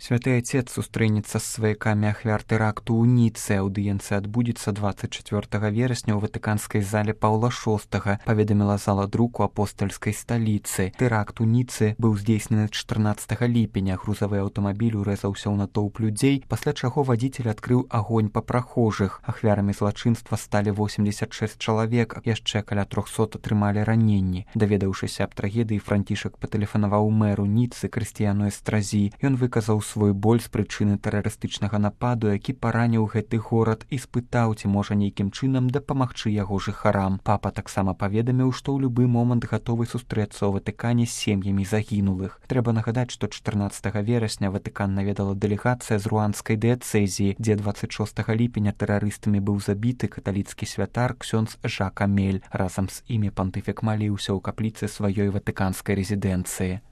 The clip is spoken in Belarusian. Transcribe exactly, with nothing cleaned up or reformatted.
Святы Отец сустрэнецца з сваякамі ахвяр тэракту ў Ніцэ. Аўдыенцыя адбудзецца дваццаць чацвёртага верасня ў ватыканскай зале Паўла шостага, паведаміла зала друку апостальскай сталіцы. Тэракт у Ніцэ быў здзейснены чатырнаццатага ліпеня. Грузавы аўтамабіль урэзаўся ў натоўп людзей, пасля чаго вадзіцель адкрыў агонь па прахожых. Ахвярамі злачынства сталі восемьдесят шесть чалавек, яшчэ каля трохсот атрымалі раненні. Даведаўшыся аб трагедыі, Францішак патэлефанаваў мэру Ніцы Крысціяну Эстразі. Ён выказаў свой боль з прычыны тэрарыстычнага нападу, які параніў гэты горад, і спытаў, ці можа нейкім чынам дапамагчы яго жыхарам. Папа таксама паведаміў, што ў любы момант гатовы сустрэцца ў Ватыкане з сем'ямі загінулых. Трэба нагадаць, што чатырнаццатага верасня Ватыкан наведала дэлегацыя з руанскай дыяцэзіі, дзе дваццаць шостага ліпеня тэрарыстамі быў забіты каталіцкі святар ксёндз Жак Амель. Разам з імі пантыфік маліўся ў капліцы сваёй ватыканскай рэзідэнцыі.